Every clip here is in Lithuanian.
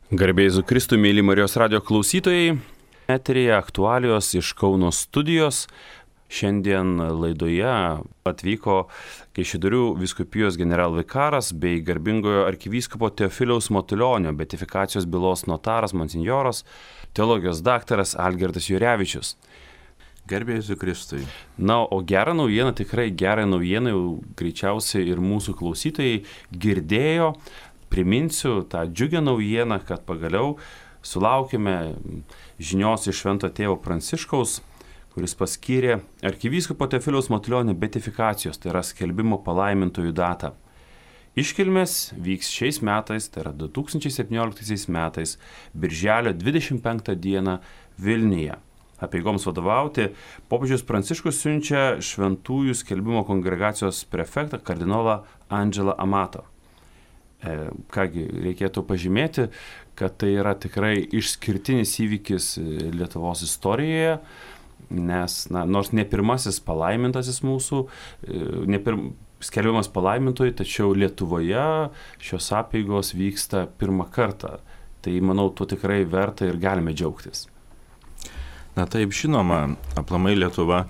Garbė Jėzui Kristui, mėly Marijos radijo klausytojai, eteryje aktualijos iš Kauno studijos. Šiandien laidoje atvyko Kaišiadorių vyskupijos generalvikaras bei garbingojo arkivyskupo Teofiliaus Matulionio beatifikacijos bylos notaras monsinjoras, teologijos daktaras Algirdas Jurevičius. Garbė Jėzui Kristui. Na, o gerą naujieną, tikrai gerą naujieną jau greičiausiai ir mūsų klausytojai girdėjo. Priminsiu tą džiugią naujieną, kad pagaliau sulaukėme žinios iš Švento tėvo Pranciškaus, kuris paskyrė arkivyskupo Teofiliaus Matulionio beatifikacijos, tai yra skelbimo palaimintojų datą. Iškilmės vyks šiais metais, tai yra 2017 metais, birželio 25 dieną Vilniuje. Apeigoms vadovauti popiežius Pranciškus siunčia šventųjų skelbimo kongregacijos prefektą kardinolą Andželą Amato. Kągi, reikėtų pažymėti, kad tai yra tikrai išskirtinis įvykis Lietuvos istorijoje, nes nors ne pirmasis palaimintasis mūsų, skelbiamas palaimintojų, tačiau Lietuvoje šios apeigos vyksta pirmą kartą. Tai, manau, tuo tikrai verta ir galime džiaugtis. Na taip, žinoma, aplamai Lietuva,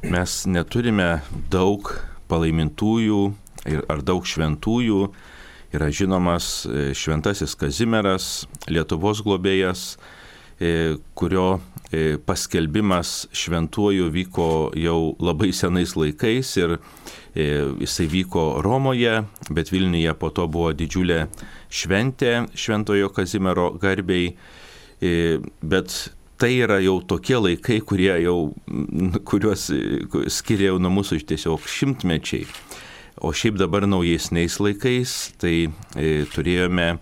mes neturime daug palaimintųjų ar daug šventųjų. Yra žinomas šventasis Kazimieras, Lietuvos globėjas, kurio paskelbimas šventuoju vyko jau labai senais laikais ir jisai vyko Romoje, bet Vilniuje po to buvo didžiulė šventė šventojo Kazimiero garbei, bet tai yra jau tokie laikai, kuriuos skiria jau nuo mūsų tiesiog šimtmečiai. O šiaip dabar naujesniais laikais tai turėjome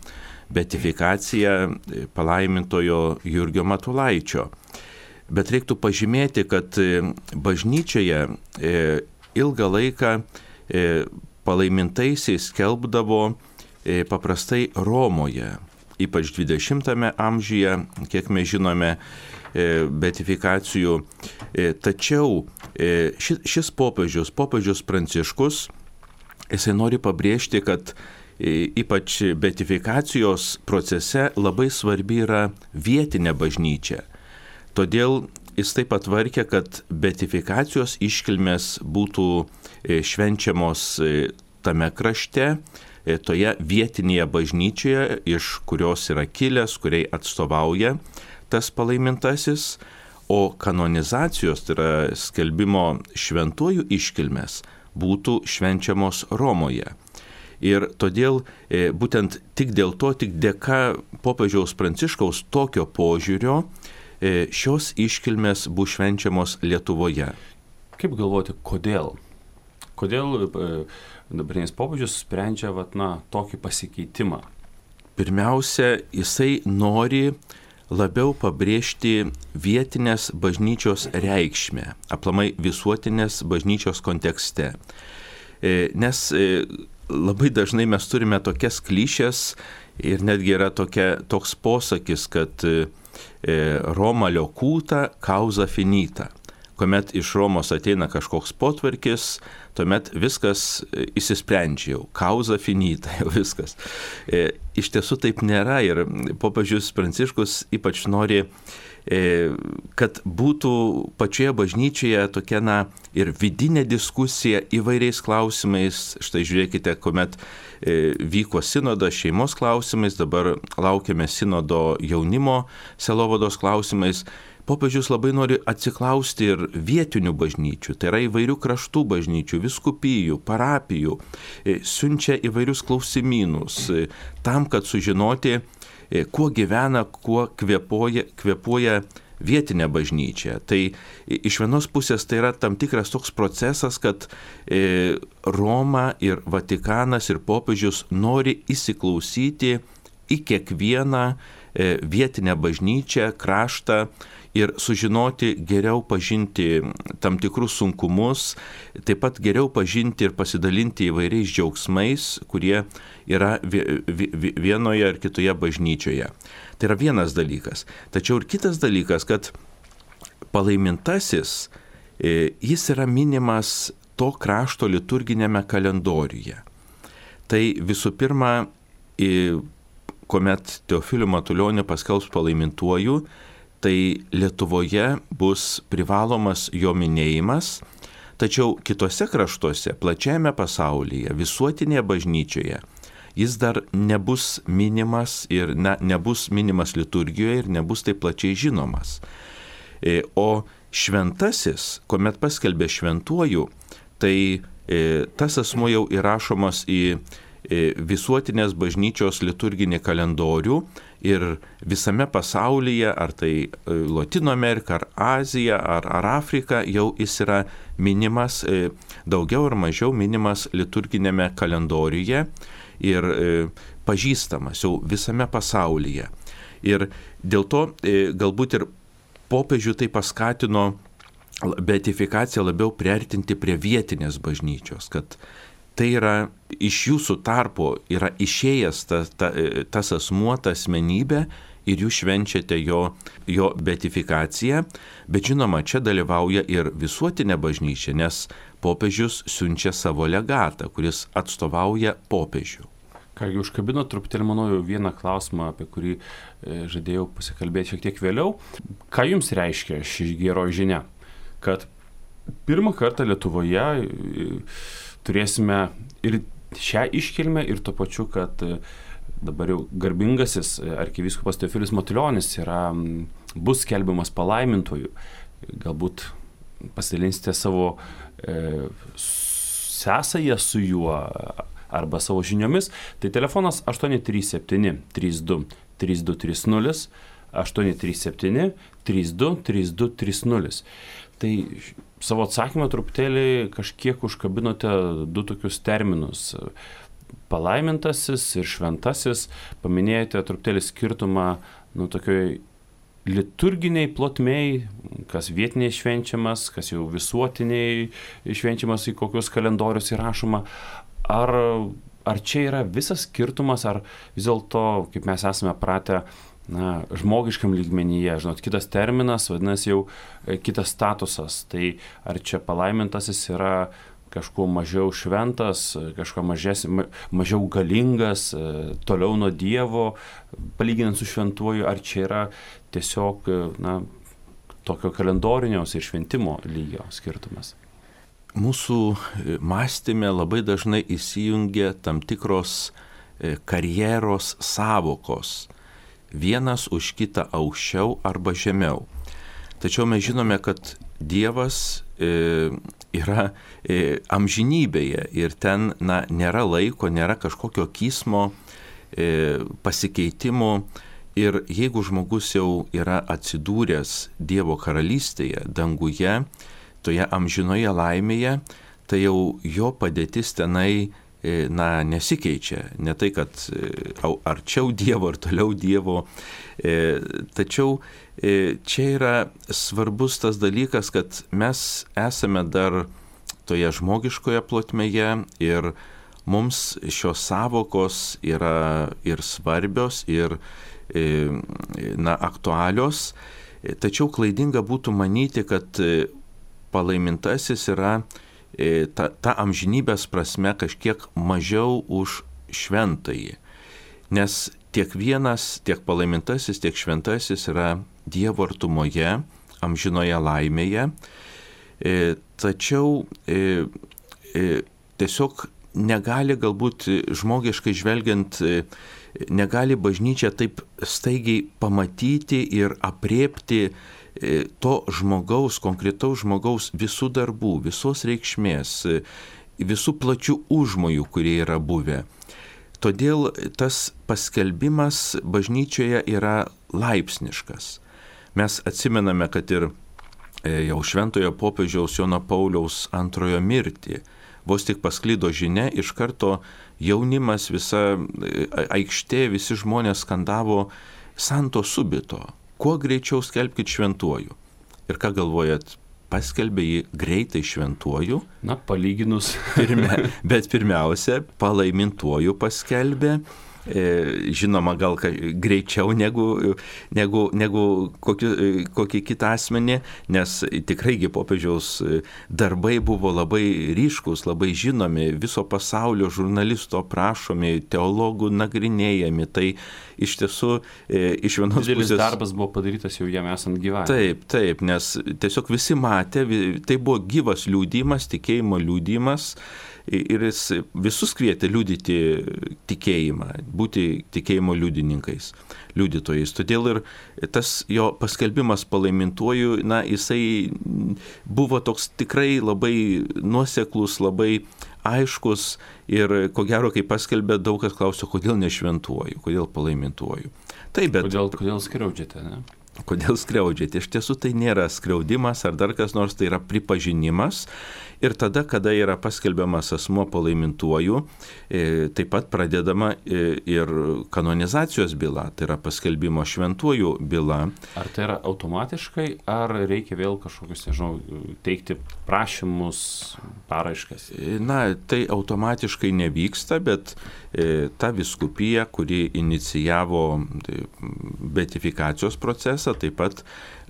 beatifikaciją palaimintojo Jurgio Matulaičio. Bet reiktų pažymėti, kad bažnyčioje ilgą laiką palaimintaisiais skelbdavo paprastai Romoje, ypač 20 amžiuje, kiek mes žinome, beatifikacijų. Tačiau šis popiežius Pranciškus, jisai nori pabrėžti, kad ypač beatifikacijos procese labai svarbi yra vietinė bažnyčia. Todėl jis taip patvarkė, kad beatifikacijos iškilmės būtų švenčiamos tame krašte, toje vietinėje bažnyčioje, iš kurios yra kilęs, kuriai atstovauja tas palaimintasis, o kanonizacijos, tai yra skelbimo šventuoju iškilmės, būtų švenčiamos Romoje. Ir todėl būtent tik dėl to, tik dėka popiežiaus Pranciškaus tokio požiūrio, šios iškilmės bus švenčiamos Lietuvoje. Kaip galvoti, kodėl? Kodėl dabartinis popiežius sprendžia tokį pasikeitimą? Pirmiausia, jisai nori labiau pabrėžti vietinės bažnyčios reikšmę, aplamai visuotinės bažnyčios kontekste. Nes labai dažnai mes turime tokias klišes ir netgi yra toks posakis, kad Roma liokūta, causa finita. Kuomet iš Romos ateina kažkoks potvarkis, tuomet viskas išsisprendžia jau, causa finita, jau viskas. Iš tiesų taip nėra ir popiežius Pranciškus ypač nori, kad būtų pačioje bažnyčioje tokia ir vidinė diskusija įvairiais klausimais. Štai žiūrėkite, kuomet vyko sinodas šeimos klausimais, dabar laukiame sinodo jaunimo sielovados klausimais. Popiežius labai nori atsiklausti ir vietinių bažnyčių, tai yra įvairių kraštų bažnyčių, vyskupijų, parapijų, siunčia įvairius klausimynus tam, kad sužinoti, kuo gyvena, kuo kvėpuoja vietinė bažnyčia. Tai iš vienos pusės tai yra tam tikras toks procesas, kad Roma ir Vatikanas ir popiežius nori įsiklausyti į kiekvieną vietinę bažnyčią, kraštą, ir sužinoti, geriau pažinti tam tikrus sunkumus, taip pat geriau pažinti ir pasidalinti įvairiais džiaugsmais, kurie yra vienoje ar kitoje bažnyčioje. Tai yra vienas dalykas. Tačiau ir kitas dalykas, kad palaimintasis, jis yra minimas to krašto liturginėme kalendoriuje. Tai visų pirma, kuomet Teofilių Matulionį paskelbs palaimintuoju, tai Lietuvoje bus privalomas jo minėjimas, tačiau kitose kraštuose, plačiame pasaulyje, visuotinėje bažnyčioje, jis dar nebus minimas ir nebus minimas liturgijoje ir nebus taip plačiai žinomas. O šventasis, kuomet paskelbė šventuoju, tai tas asmuo jau įrašomas į visuotinės bažnyčios liturginį kalendorių ir visame pasaulyje, ar tai Lotynų Amerika, ar Azija, ar Afrika, jau jis yra minimas, daugiau ar mažiau minimas liturginėme kalendoriuje ir pažįstamas jau visame pasaulyje. Ir dėl to galbūt ir popiežių tai paskatino beatifikaciją labiau priartinti prie vietinės bažnyčios, kad tai yra iš jūsų tarpo yra išėjęs tas asmuo, ta asmenybė ir jūs švenčiate jo beatifikaciją, bet žinoma, čia dalyvauja ir visuotinė bažnyčia, nes popiežius siunčia savo legatą, kuris atstovauja popiežių. Kągi, užkabino truputėlį, manau, vieną klausimą, apie kurį žadėjau pasikalbėti šiek tiek vėliau. Ką jums reiškia ši geroji žinia? Kad pirmą kartą Lietuvoje turėsime ir šią iškilmę ir tuo pačiu, kad dabar jau garbingasis arkivyskupas Teofilis Matulionis bus skelbiamas palaimintuoju. Galbūt pasidalinsite savo sąsają su juo arba savo žiniomis. Tai telefonas 837 32 3230, 837 32 3230. Tai savo atsakymą truputėlį kažkiek užkabinote du tokius terminus. Palaimintasis ir šventasis. Paminėjote truputėlį skirtumą tokioj liturginiai plotmei, kas vietiniai švenčiamas, kas jau visuotiniai švenčiamas, į kokius kalendorius įrašoma. Ar čia yra visas skirtumas, ar vis dėlto, kaip mes esame pratę, žmogiškam lygmenyje, kitas terminas, vadinasi jau kitas statusas. Tai ar čia palaimintasis yra kažkuo mažiau šventas, kažkuo mažiau galingas, toliau nuo Dievo, palyginant su šventuoju, ar čia yra tiesiog tokio kalendoriniaus ir šventimo lygio skirtumas? Mūsų mąstyme labai dažnai įsijungia tam tikros karjeros savokos. Vienas už kitą aukščiau arba žemiau. Tačiau mes žinome, kad Dievas yra amžinybėje ir ten nėra laiko, nėra kažkokio kismo, pasikeitimo. Ir jeigu žmogus jau yra atsidūręs Dievo karalystėje, danguje, toje amžinoje laimėje, tai jau jo padėtis tenai nesikeičia. Ne tai, kad arčiau Dievo ar toliau Dievo. Tačiau čia yra svarbus tas dalykas, kad mes esame dar toje žmogiškoje plotmėje ir mums šios savokos yra ir svarbios, ir aktualios. Tačiau klaidinga būtų manyti, kad palaimintasis yra ta amžinybės prasme kažkiek mažiau už šventąjį. Nes tiek vienas, tiek palaimintasis, tiek šventasis yra Dievo artumoje, amžinoje laimėje. Tačiau tiesiog negali galbūt žmogiškai žvelgiant, negali bažnyčia taip staigiai pamatyti ir apriepti to žmogaus, konkretaus žmogaus visų darbų, visos reikšmės, visų plačių užmojų, kurie yra buvę. Todėl tas paskelbimas bažnyčioje yra laipsniškas. Mes atsimename, kad ir jau šventojo popiežiaus Jono Pauliaus II mirtį. Vos tik pasklido žinia, iš karto jaunimas, visa aikštė, visi žmonės skandavo santo subito. Kuo greičiau skelbkit šventuoju. Ir ką galvojat, paskelbė jį greitai šventuoju? Palyginus. Bet pirmiausia, palaimintuoju paskelbė žinoma, gal greičiau negu kokį kitą asmenį, nes tikraigi popiežiaus darbai buvo labai ryškus, labai žinomi, viso pasaulio žurnalistų aprašomi, teologų nagrinėjami. Tai iš tiesų iš vienos didelis pusės darbas buvo padarytas jau jam esant gyvam. Taip, nes tiesiog visi matė, tai buvo gyvas liudijimas, tikėjimo liudijimas. Ir jis visus kvietė liudyti tikėjimą, būti tikėjimo liudytojais. Todėl ir tas jo paskelbimas palaimintuoju, jisai buvo toks tikrai labai nuoseklus, labai aiškus ir ko gero, kai paskelbė, daug kas klausė, kodėl nešventuoju, kodėl palaimintuoju. Taip, bet Kodėl skriaudžiate, ne? Kodėl skriaudžiate? Iš tiesų tai nėra skriaudimas ar dar kas nors, tai yra pripažinimas. Ir tada, kada yra paskelbiamas asmuo palaimintuoju, taip pat pradedama ir kanonizacijos byla, tai yra paskelbimo šventuoju byla. Ar tai yra automatiškai, ar reikia vėl kažkokius, nežinau, teikti prašymus, paraiškas? Tai automatiškai nevyksta, bet ta vyskupija, kuri inicijavo beatifikacijos procesą, taip pat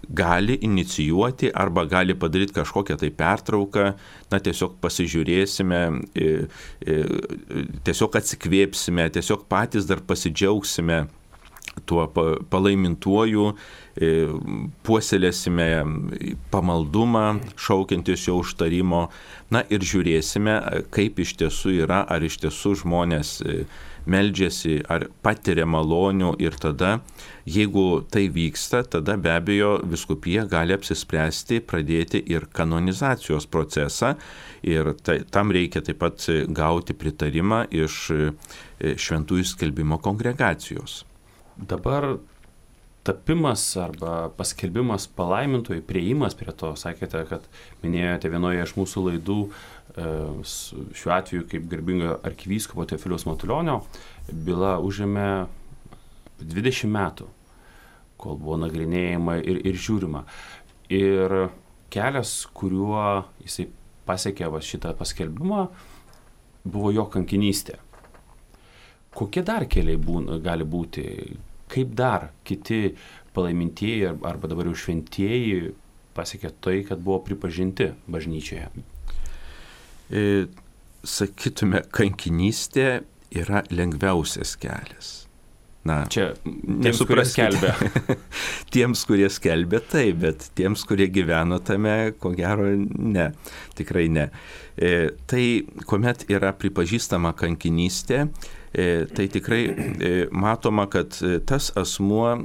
gali inicijuoti arba gali padaryti kažkokią tai pertrauką, tiesiog pasižiūrėsime, tiesiog atsikvėpsime, tiesiog patys dar pasidžiaugsime tuo palaimintuoju, puoselėsime pamaldumą, šaukiantis jo užtarimo, ir žiūrėsime, kaip iš tiesų yra, ar iš tiesų žmonės meldžiasi, ar patiria malonių ir tada, jeigu tai vyksta, tada be abejo vyskupija gali apsispręsti pradėti ir kanonizacijos procesą ir tam reikia taip pat gauti pritarimą iš šventųjų skelbimo kongregacijos. Dabar tapimas arba paskelbimas palaimintojų, priėjimas prie to, sakėte, kad minėjote vienoje iš mūsų laidų, šiuo atveju kaip garbingo arkivyskupo Teofiliaus Matulionio byla užėmė 20 metų, kol buvo nagrinėjama ir žiūrima. Ir kelias, kuriuo jisai pasiekė šitą paskelbimą, buvo jo kankinystė. Kokie dar keliai gali būti? Kaip dar kiti palaimintieji arba dabar jau šventieji pasiekė tai, kad buvo pripažinti bažnyčioje? Sakytume, kankinystė yra lengviausias kelias. Čia tiems, kurie skelbia. Tiems, kurie skelbia, taip, bet tiems, kurie gyveno tame, ko gero, ne, tikrai ne. Tai, kuomet yra pripažįstama kankinystė, tai tikrai matoma, kad tas asmuo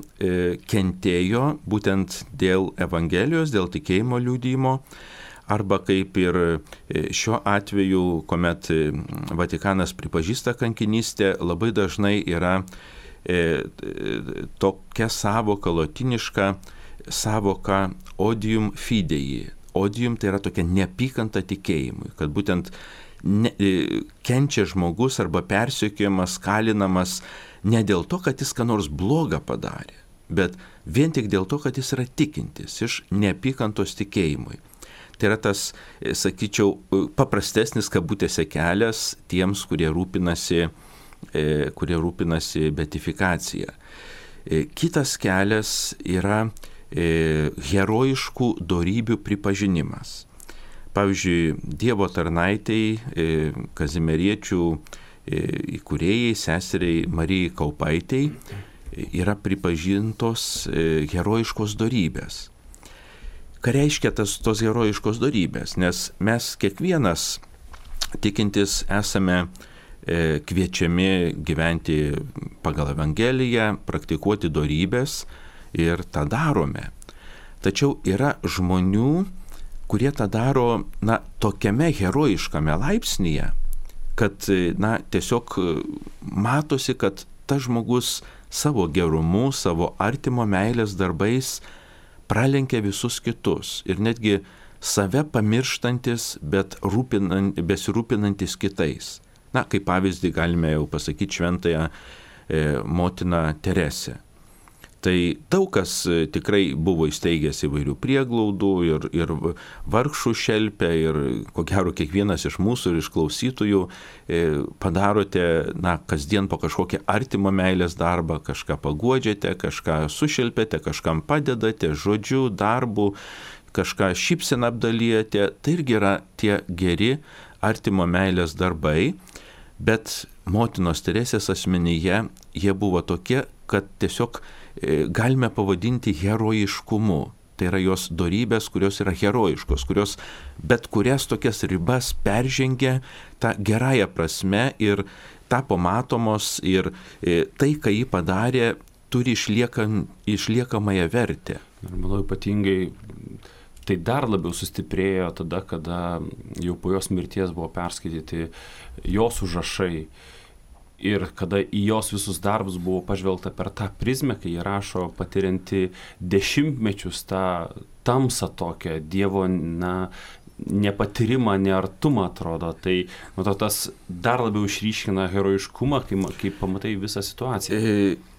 kentėjo būtent dėl Evangelijos, dėl tikėjimo liudijimo, arba kaip ir šiuo atveju, kuomet Vatikanas pripažįsta kankinystę, labai dažnai yra tokia savoka, lotiniška savoka odium fidei. Odium tai yra tokia neapykanta tikėjimui, kad būtent kenčia žmogus arba persekiojamas, kalinamas ne dėl to, kad jis ką nors blogą padarė, bet vien tik dėl to, kad jis yra tikintis iš neapykantos tikėjimui. Tai yra tas, sakyčiau, paprastesnis kabutėse kelias tiems, kurie rūpinasi beatifikacija. Kitas kelias yra herojiškų dorybių pripažinimas. Pavyzdžiui, Dievo tarnaitei, kazimeriečių įkūrėjai, seseriai Marijai Kaupaitei yra pripažintos herojiškos dorybės. Ką reiškia tos herojiškos dorybės? Nes mes kiekvienas tikintis esame kviečiami gyventi pagal Evangeliją, praktikuoti dorybės ir tą darome. Tačiau yra žmonių, kurie tą daro tokiame herojiškame laipsnyje, kad tiesiog matosi, kad tas žmogus savo gerumu, savo artimo meilės darbais pralenkia visus kitus ir netgi save pamirštantis, bet besirūpinantis kitais. Kaip pavyzdį galime jau pasakyti šventąją motiną Teresę. Tai daug kas tikrai buvo įsteigęs įvairių prieglaudų ir vargšų šelpę, ir ko gero kiekvienas iš mūsų ir iš klausytojų padarote kasdien po kažkokią artimo meilės darbą, kažką paguodžiate, kažką sušelpėte, kažkam padedate, žodžiu, darbu, kažką šypseną apdalijate. Tai irgi yra tie geri artimo meilės darbai, bet motinos Teresės asmenyje jie buvo tokie, kad tiesiog galime pavadinti herojiškumu. Tai yra jos dorybės, kurios yra herojiškos, kurios bet kurias tokias ribas peržengia tą gerąją prasme ir tapo matomos, ir tai, ką ji padarė, turi išliekamąją vertę. Ir manau, ypatingai tai dar labiau sustiprėjo tada, kada jau po jos mirties buvo perskaityti jos užrašai. Ir kada į jos visus darbus buvo pažvelgta per tą prizmę, kai jie rašo patirianti dešimtmečius tą tamsą tokią, Dievo nepatyrimą, neartumą atrodo. Tai tas dar labiau išryškina herojiškumą, kai pamatai visą situaciją.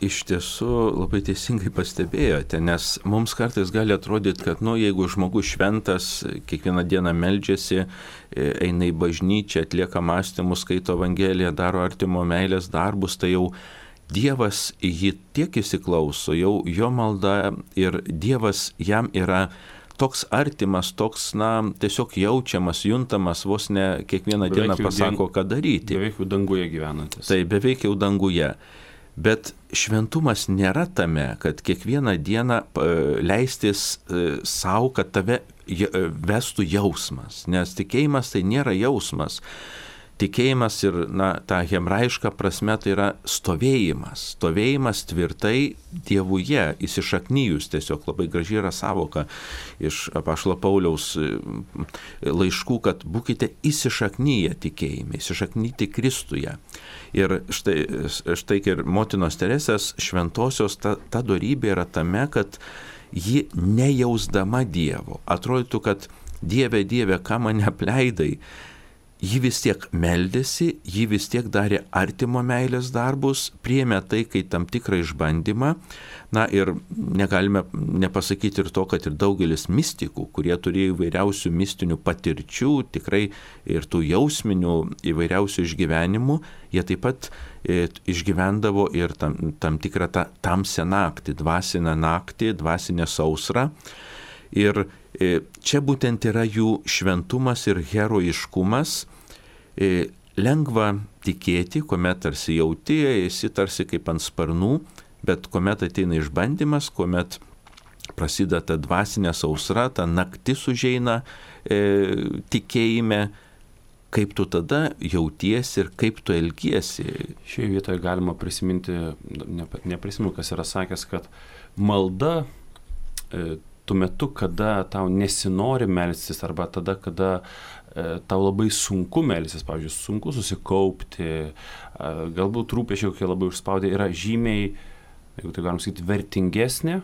Iš tiesų labai teisingai pastebėjote, nes mums kartais gali atrodyti, kad jeigu žmogus šventas, kiekvieną dieną meldžiasi, eina į bažnyčią, atlieka mąstymus, skaito Evangeliją, daro artimo meilės darbus, tai jau Dievas į jį tiek įsiklauso, jau jo malda ir Dievas jam yra toks artimas, toks, tiesiog jaučiamas, juntamas, vos ne kiekvieną dieną pasako, ką daryti. Beveik jau danguje gyvenantis. Tai beveik jau danguje. Bet šventumas nėra tame, kad kiekvieną dieną leistis savo, kad tave vestų jausmas. Nes tikėjimas tai nėra jausmas. Tikėjimas ir ta hebrajiška prasme tai yra stovėjimas. Stovėjimas tvirtai Dievuje, įsišaknyjus, tiesiog labai graži yra savoka iš apaštalo Pauliaus laiškų, kad būkite įsišaknyję tikėjime, įsišaknyti Kristuje. Ir štai ir motinos Teresės šventosios ta dorybė yra tame, kad ji nejausdama Dievo. Atrodytų, kad Dieve, Dieve, ką mane apleidai, ji vis tiek meldėsi, ji vis tiek darė artimo meilės darbus, priėmė tai kaip tam tikrą išbandymą. Ir negalime nepasakyti ir to, kad ir daugelis mistikų, kurie turėjo įvairiausių mistinių patirčių, tikrai ir tų jausminių įvairiausių išgyvenimų, jie taip pat išgyvendavo ir tam tikrą tą tamsią naktį, dvasinę sausrą. Ir čia būtent yra jų šventumas ir herojiškumas. Lengva tikėti, kuomet tarsi jauti, esi tarsi kaip ant sparnų, bet kuomet ateina išbandymas, kuomet prasideda ta dvasinė sausra, ta naktis užeina tikėjime, kaip tu tada jautiesi ir kaip tu elgiesi. Šioje vietoje galima prisiminti, neprisimenu, kas yra sakęs, kad malda tuo metu, kada tau nesinori melstis, arba tada, kada tau labai sunku melstis, pavyzdžiui, sunku susikaupti, galbūt rūpesčiai kokie labai užspaudė, yra žymiai, jeigu tai galim sakyti, vertingesnė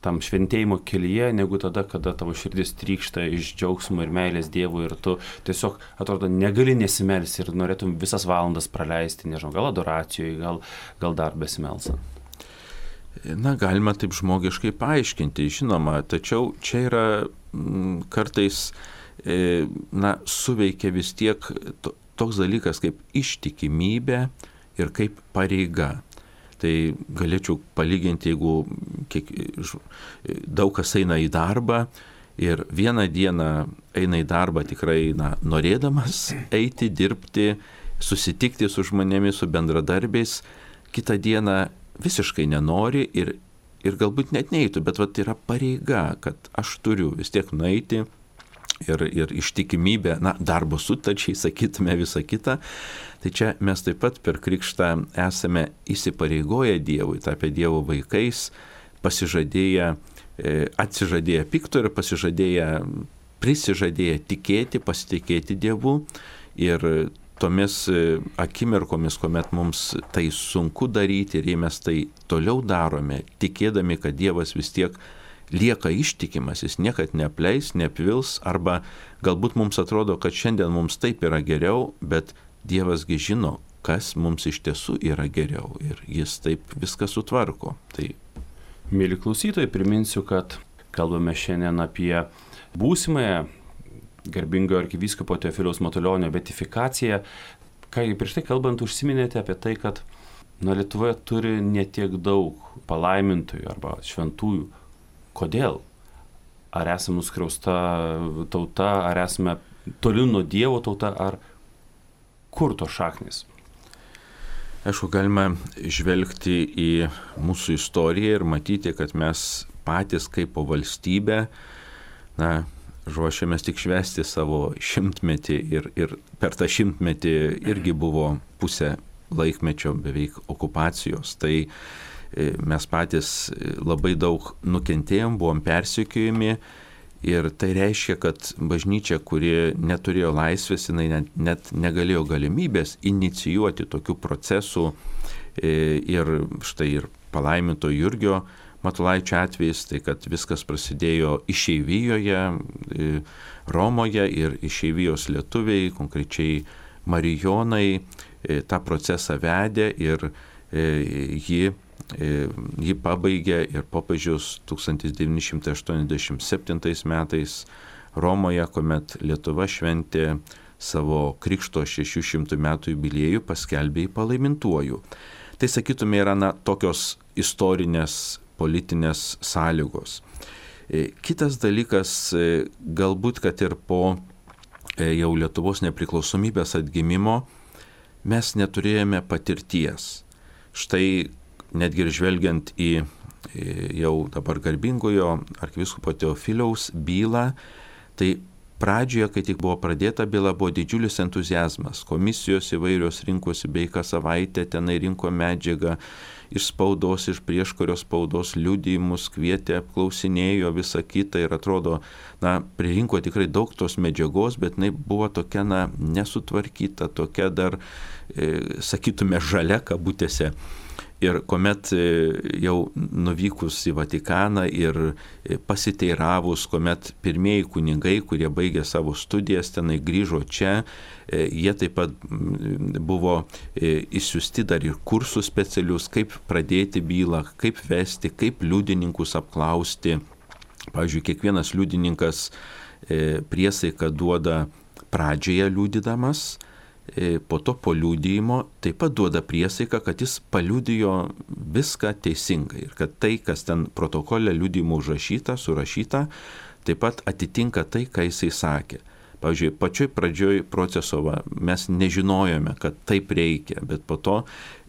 tam šventėjimo kelyje, negu tada, kada tavo širdis trykšta iš džiaugsmo ir meilės Dievui ir tu tiesiog, atrodo, negali nesimelsti ir norėtum visas valandas praleisti, nežinau, gal adoracijoje, gal dar besimelsant. Galima taip žmogiškai paaiškinti, žinoma, tačiau čia yra kartais, suveikia vis tiek toks dalykas kaip ištikimybė ir kaip pareiga. Tai galėčiau palyginti, jeigu daug kas eina į darbą ir vieną dieną eina į darbą tikrai norėdamas eiti, dirbti, susitikti su žmonėmis, su bendradarbiais, kitą dieną visiškai nenori ir galbūt net neitų, bet yra pareiga, kad aš turiu vis tiek nueiti ir ištikimybė, darbo sutarčiai, sakytume visą kitą. Tai čia mes taip pat per krikštą esame įsipareigoję Dievui, tapę Dievo vaikais, atsižadėję pikto ir prisižadėję tikėti, pasitikėti Dievu. Ir tomis akimirkomis, kuomet mums tai sunku daryti ir jei mes tai toliau darome, tikėdami, kad Dievas vis tiek lieka ištikimas, jis niekad neapleis, neapvils, arba galbūt mums atrodo, kad šiandien mums taip yra geriau, bet Dievasgi žino, kas mums iš tiesų yra geriau ir jis taip viską sutvarko. Tai Mėly klausytojai, priminsiu, kad kalbame šiandien apie būsimąją garbingojo arkivyskupo Teofiliaus Matulionio beatifikaciją. Ką prieš tai kalbant užsiminėte apie tai, kad Lietuvoje turi netiek daug palaimintųjų arba šventųjų. Kodėl? Ar esame nuskriausta tauta, ar esame toli nuo Dievo tauta, ar kur to šaknis? Aišku, galima žvelgti į mūsų istoriją ir matyti, kad mes patys kaip valstybė, ruošiamės tik švęsti savo 100-metį ir per tą 100-metį irgi buvo pusė laikmečio beveik okupacijos. Tai mes patys labai daug nukentėjom, buvom persekiojami. Ir tai reiškia, kad bažnyčia, kuri neturėjo laisvės, jinai net negalėjo galimybės inicijuoti tokių procesų. Ir štai ir palaiminto Jurgio Matulaičio atvejis, tai kad viskas prasidėjo išeivijoje, Romoje ir išeivijos lietuviai, konkrečiai marijonai, tą procesą vedė ir jį pabaigė ir popiežius 1987 metais Romoje, kuomet Lietuva šventė savo krikšto 600 metų jubiliejų, paskelbė jį palaimintuoju. Tai sakytume yra tokios istorinės politinės sąlygos. Kitas dalykas, galbūt, kad ir po jau Lietuvos nepriklausomybės atgimimo mes neturėjome patirties. Štai netgi ir žvelgiant į jau dabar garbingojo arkivyskupo Teofiliaus bylą, tai pradžioje, kai tik buvo pradėta byla, buvo didžiulis entuziazmas. Komisijos įvairios rinkosi bei kas savaitę tenai rinko medžiagą iš spaudos, iš prieškario spaudos liudijimus, kvietė, apklausinėjo visą kitą ir atrodo, pririnko tikrai daug tos medžiagos, bet jinai buvo tokia nesutvarkyta, tokia dar, sakytume, žalia kabutėse. Ir kuomet jau nuvykus į Vatikaną ir pasiteiravus, kuomet pirmieji kunigai, kurie baigė savo studijas, tenai grįžo čia, jie taip pat buvo išsiųsti dar ir kursus specialius, kaip pradėti bylą, kaip vesti, kaip liudininkus apklausti. Pavyzdžiui, kiekvienas liudininkas priesaiką duoda pradžioje liudydamas, po to po liudijimo taip pat duoda priesaiką, kad jis paliudijo viską teisingai ir kad tai, kas ten protokole liudijimo užrašyta, surašyta, taip pat atitinka tai, ką jisai sakė. Pavyzdžiui, pačioj pradžioj proceso mes nežinojome, kad taip reikia, bet po to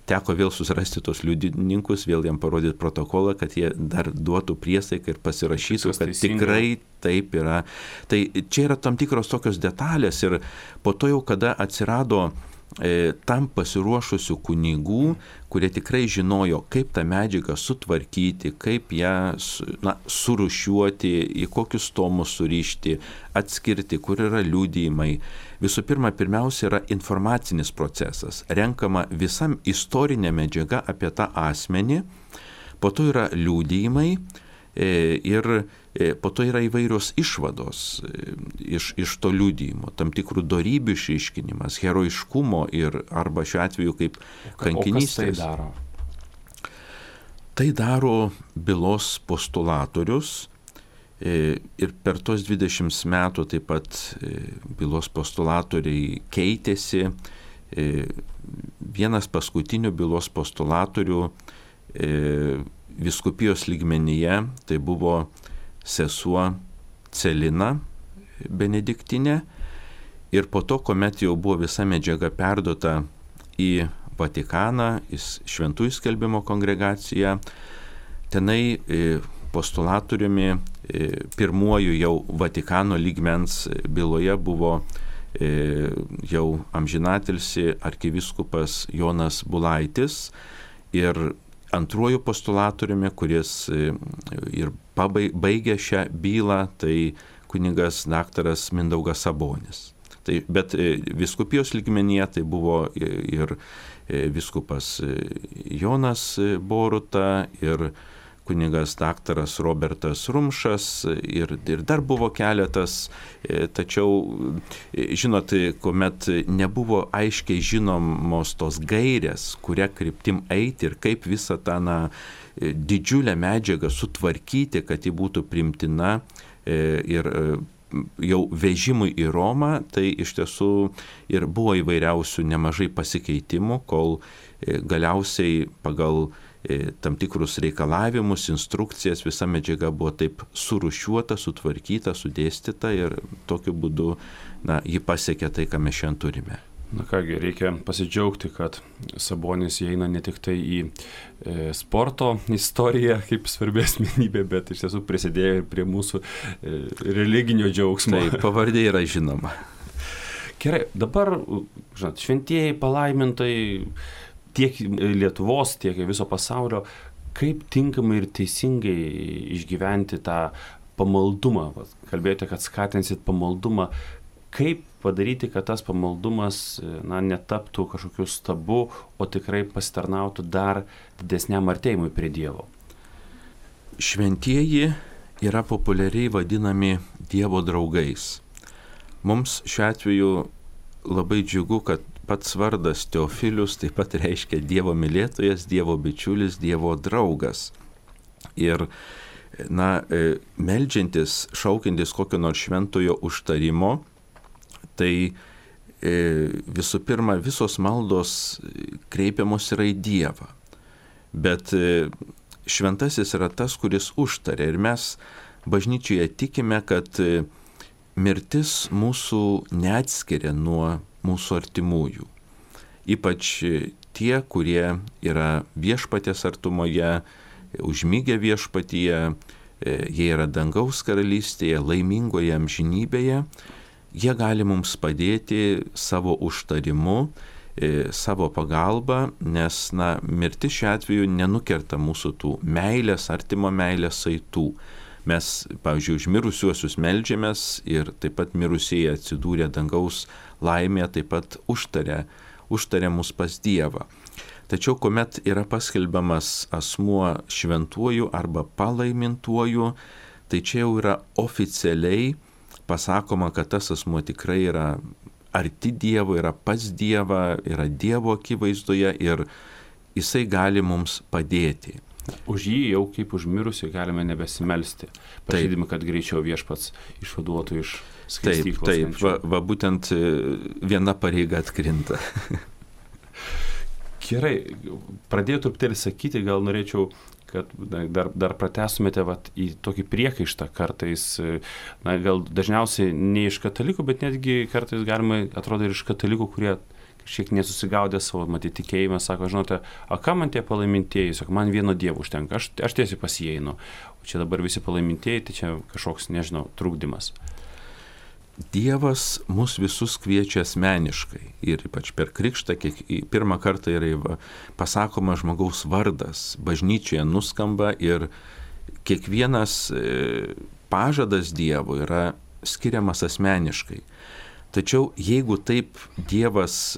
teko vėl susirasti tos liudininkus, vėl jam parodyti protokolą, kad jie dar duotų priesaiką ir pasirašytų, kad tikrai taip yra. Tai čia yra tam tikros tokios detalės ir po to jau, kada atsirado tam pasiruošusių kunigų, kurie tikrai žinojo, kaip tą medžiagą sutvarkyti, kaip ją surūšiuoti, į kokius tomus surišti, atskirti, kur yra liudijimai. Visų pirma, pirmiausia yra informacinis procesas. Renkama visa istorinė medžiaga apie tą asmenį, po to yra liudijimai ir po to yra įvairios išvados iš to liudijimo, tam tikrų dorybių išryškinimas, herojiškumo ir arba šiuo atveju kaip kankinystės. O kas tai daro? Tai daro bylos postulatorius ir per tos 20 metų taip pat bylos postulatoriai keitėsi. Vienas paskutinių bylos postulatorių vyskupijos lygmenyje tai buvo sesuo Celina Benediktinė ir po to, kuomet jau buvo visa medžiaga perduota į Vatikaną, į Šventųjų skelbimo kongregaciją, tenai postulatoriumi pirmuoju jau Vatikano lygmens byloje buvo jau amžinatilsį arkivyskupas Jonas Bulaitis ir antruoju postulatoriumi, kuris ir baigė šią bylą, tai kunigas daktaras Mindaugas Sabonis. Tai, bet vyskupijos lygmenyje tai buvo ir vyskupas Jonas Boruta ir kunigas daktaras Robertas Rumšas ir dar buvo keletas, tačiau, žinot, kuomet nebuvo aiškiai žinomos tos gairės, kuria kryptim eiti ir kaip visą tą didžiulę medžiagą sutvarkyti, kad ji būtų primtina ir jau vežimui į Romą, tai iš tiesų ir buvo įvairiausių nemažai pasikeitimų, kol galiausiai pagal tam tikrus reikalavimus, instrukcijas visa medžiaga buvo taip surūšiuota, sutvarkyta, sudėstyta ir tokiu būdu ji pasiekė tai, ką mes šiandien turime. Na kągi, reikia pasidžiaugti, kad Sabonis įeina ne tik tai į sporto istoriją kaip svarbi asmenybė, bet iš tiesų prisidėjo ir prie mūsų religinio džiaugsmo. Tai pavardė yra žinoma. Gerai, dabar, žinot, šventieji, palaimintai tiek Lietuvos, tiek viso pasaulio, kaip tinkamai ir teisingai išgyventi tą pamaldumą. Kalbėjote, kad skatinsit pamaldumą. Kaip padaryti, kad tas pamaldumas netaptų kažkokiu stabu, o tikrai pasitarnautų dar didesniam artėjimui prie Dievo? Šventieji yra populiariai vadinami Dievo draugais. Mums šiuo atveju labai džiugu, kad pats vardas Teofilius taip pat reiškia Dievo mylėtojas, Dievo bičiulis, Dievo draugas. Ir meldžiantis, šaukiantis kokio nors šventojo užtarimo, tai visų pirma, visos maldos kreipiamos yra į Dievą. Bet šventasis yra tas, kuris užtaria. Ir mes bažnyčioje tikime, kad mirtis mūsų neatskiria nuo mūsų artimųjų. Ypač tie, kurie yra viešpaties artumoje, užmygę viešpatyje, jie yra dangaus karalystėje, laimingoje amžinybėje. Jie gali mums padėti savo užtarimu, savo pagalbą, nes mirtis šiuo atveju nenukerta mūsų tų meilės, artimo meilės saitų. Mes, pavyzdžiui, už mirusiuosius meldžiamės ir taip pat mirusieji atsidūrė dangaus laimėje, taip pat užtaria mus pas Dievą. Tačiau, kuomet yra paskelbiamas asmuo šventuoju arba palaimintuoju, tai čia jau yra oficialiai pasakoma, kad tas asmuo tikrai yra arti Dievo, yra pas Dievą, yra Dievo akivaizdoje ir jisai gali mums padėti. Už jį jau kaip už mirusį galime nebesimelsti, prašydami, kad greičiau viešpats išvaduotų iš skaistyklos. Taip, va būtent viena pareiga atkrinta. Gerai, pradėjau truputėlį sakyti, gal norėčiau, kad dar pratęstumėte į tokį priekaištą kartais, gal dažniausiai ne iš katalikų, bet netgi kartais galima, atrodo, ir iš katalikų, kurie šiek nesusigaudė savo, matyti, tikėjimą, sako, žinote, ką man tie palaimintieji, sako, man vieno Dievo užtenka, aš tiesiai pasieinu, o čia dabar visi palaimintieji, tai čia kažkoks, nežinau, trukdymas. Dievas mus visus kviečia asmeniškai ir ypač per krikštą, pirmą kartą yra pasakoma žmogaus vardas, bažnyčioje nuskamba ir kiekvienas pažadas Dievo yra skiriamas asmeniškai. Tačiau jeigu taip Dievas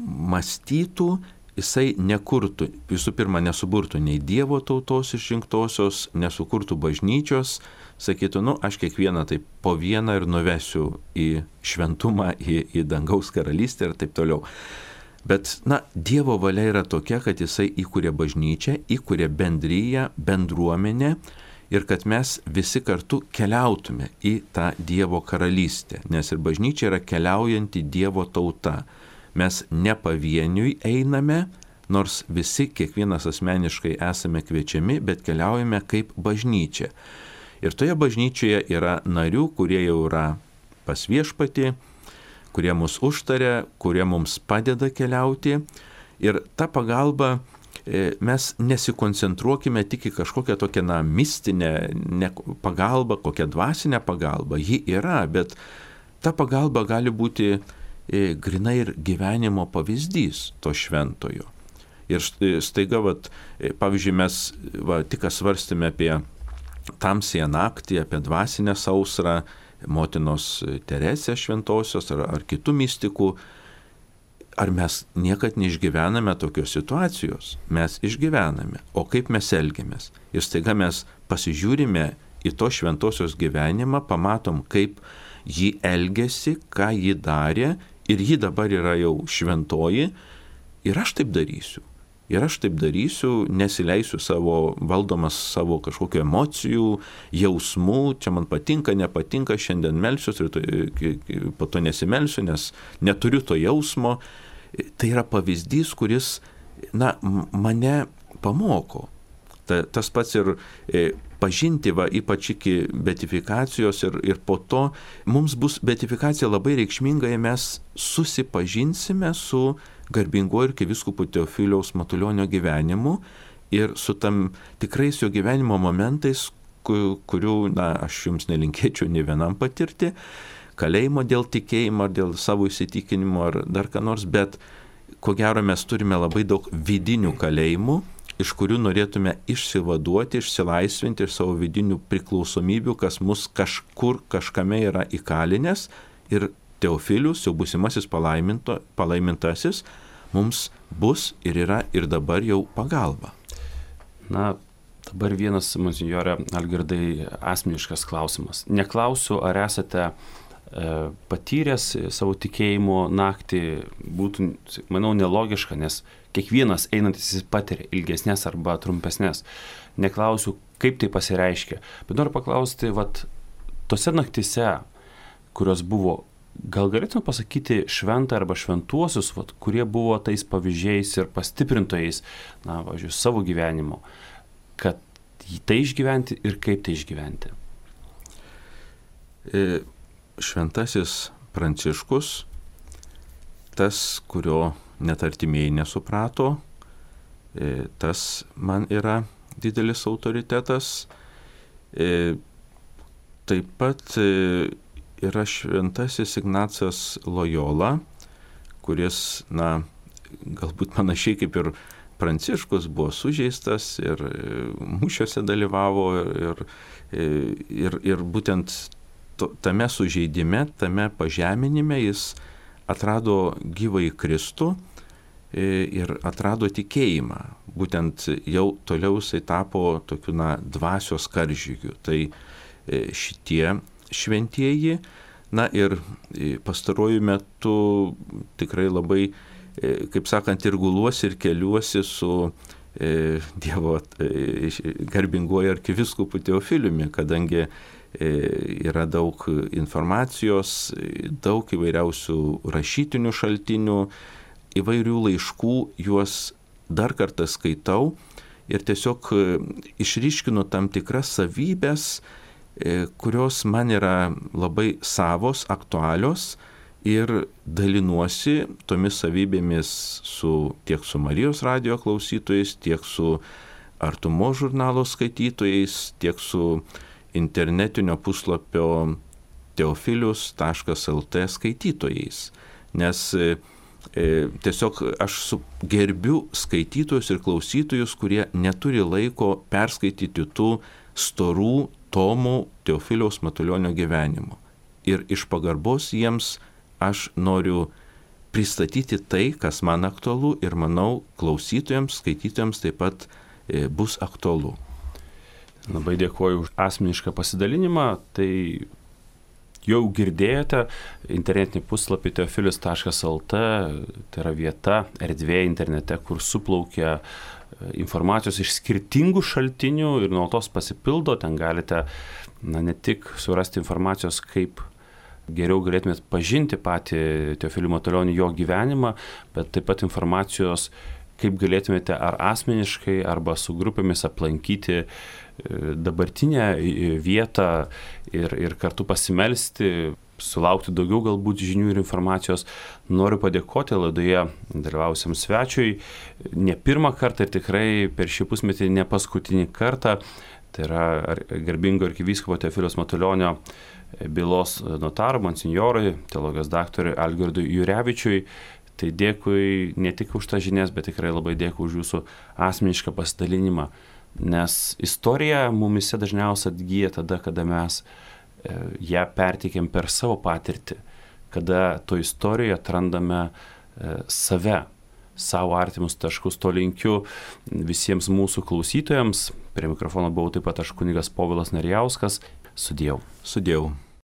mąstytų, jisai nekurtų, visų pirma, nesuburtų nei Dievo tautos išrinktosios, nesukurtų bažnyčios, sakytų, aš kiekvieną taip po vieną ir nuvesiu į šventumą, į dangaus karalystę ir taip toliau. Bet, Dievo valia yra tokia, kad jisai įkūrė bažnyčią, įkūrė bendryją, bendruomenę ir kad mes visi kartu keliautume į tą Dievo karalystę, nes ir bažnyčia yra keliaujanti Dievo tauta. Mes ne pavieniui einame, nors visi, kiekvienas asmeniškai esame kviečiami, bet keliaujame kaip bažnyčia. Ir toje bažnyčioje yra narių, kurie jau yra pas viešpatį, kurie mus užtaria, kurie mums padeda keliauti. Ir ta pagalba, mes nesikoncentruokime tik į kažkokią tokią mistinę pagalbą, kokią dvasinę pagalbą. Ji yra, bet ta pagalba gali būti grinai ir gyvenimo pavyzdys to šventojo. Ir staiga, pavyzdžiui, mes tik svarstėme apie tamsiąją naktį, apie dvasinę sausrą, motinos Teresės šventosios ar kitų mistikų. ar mes niekad neišgyvename tokios situacijos? Mes išgyvename. O kaip mes elgiamės? Ir staiga mes pasižiūrime į to šventosios gyvenimą, pamatom, kaip ji elgėsi, ką ji darė, ir ji dabar yra jau šventoji, ir aš taip darysiu. Ir aš taip darysiu, nesileisiu valdomas savo kažkokių emocijų, jausmų, čia man patinka, nepatinka, šiandien melsiuos, po to nesimelsiu, nes neturiu to jausmo. Tai yra pavyzdys, kuris, mane pamoko. Tas pats ir pažinti, ypač iki beatifikacijos ir po to mums bus beatifikacija labai reikšminga, jei mes susipažinsime su garbinguoju arkivyskupu Teofiliaus Matulionio gyvenimu ir su tam tikrais jo gyvenimo momentais, kurių, aš jums nelinkėčiau nė vienam patirti, kalėjimo dėl tikėjimo, ar dėl savo įsitikinimo, ar dar ką nors, bet ko gero mes turime labai daug vidinių kalėjimų, iš kurių norėtume išsivaduoti, išsilaisvinti iš savo vidinių priklausomybių, kas mus kažkur kažkame yra įkalinęs, ir Teofilius, jau būsimasis palaimintasis, mums bus ir yra ir dabar jau pagalba. Dabar vienas, monsinjore Algirdai, asmeniškas klausimas. Neklausiu, ar esate patyręs savo tikėjimo naktį, būtų, manau, nelogiška, nes kiekvienas einantis jis patiria ilgesnės arba trumpesnės. Neklausiu, kaip tai pasireiškia, bet noriu paklausti, tose naktise, kurios buvo, gal galėtume pasakyti šventą arba šventuosius, kurie buvo tais pavyzdžiais ir pastiprintojais, savo gyvenimo, kad tai išgyventi ir kaip tai išgyventi? Šventasis Pranciškus, tas, kurio net artimieji nesuprato, tas man yra didelis autoritetas. Taip pat yra šventasis Ignacas Lojola, kuris, galbūt panašiai kaip ir Pranciškus, buvo sužeistas ir mūšiuose dalyvavo ir būtent tame sužeidime, tame pažeminime jis atrado gyvąjį Kristų ir atrado tikėjimą. Būtent jau toliau jisai tapo tokiu dvasios karžygiu. Tai šitie šventieji, ir pastaruoju metu tikrai labai, kaip sakant, ir guluosi, ir keliuosi su Dievo garbinguoju arkivyskupu Teofiliumi, kadangi yra daug informacijos, daug įvairiausių rašytinių šaltinių, įvairių laiškų, juos dar kartą skaitau ir tiesiog išryškinu tam tikras savybės, kurios man yra labai savos, aktualios, ir dalinuosi tomis savybėmis tiek su Marijos radijo klausytojais, tiek su Artumos žurnalo skaitytojais, tiek su internetinio puslapio teofilius.lt skaitytojais. Nes tiesiog aš gerbiu skaitytojus ir klausytojus, kurie neturi laiko perskaityti tų storų tomų Teofiliaus Matulionio gyvenimo. Ir iš pagarbos jiems aš noriu pristatyti tai, kas man aktualu, ir manau, klausytojams, skaitytojams taip pat bus aktualu. Labai dėkuoju už asmenišką pasidalinimą. Tai jau girdėjote internetinį puslapį teofilius.lt, tai yra vieta, erdvė internete, kur suplaukia informacijos iš skirtingų šaltinių ir nuolatos pasipildo. Ten galite ne tik surasti informacijos, kaip geriau galėtumėt pažinti patį Teofilių Matulionį, jo gyvenimą, bet taip pat informacijos, kaip galėtumėte ar asmeniškai, arba su grupėmis aplankyti dabartinę vietą ir kartu pasimelsti, sulaukti daugiau galbūt žinių ir informacijos. Noriu padėkoti laidoje dalyvausiam svečiui. Ne pirmą kartą ir tikrai per šį pusmetį ne paskutinį kartą. Tai yra garbingo arkivyskupo Teofiliaus Matulionio bylos notarui, monsinjorui, teologijos daktarui Algirdui Jurevičiui. Tai dėkui ne tik už tą žinias, bet tikrai labai dėkui už jūsų asmenišką pasidalinimą. Nes istorija mumise dažniausiai atgyja tada, kada mes ją perteikiam per savo patirtį, kada to istorijoje atrandame save, savo artimus taškus. To linkiu visiems mūsų klausytojams. Prie mikrofono buvau taip pat aš kunigas Povilas Narijauskas. Sudieu. Sudieu.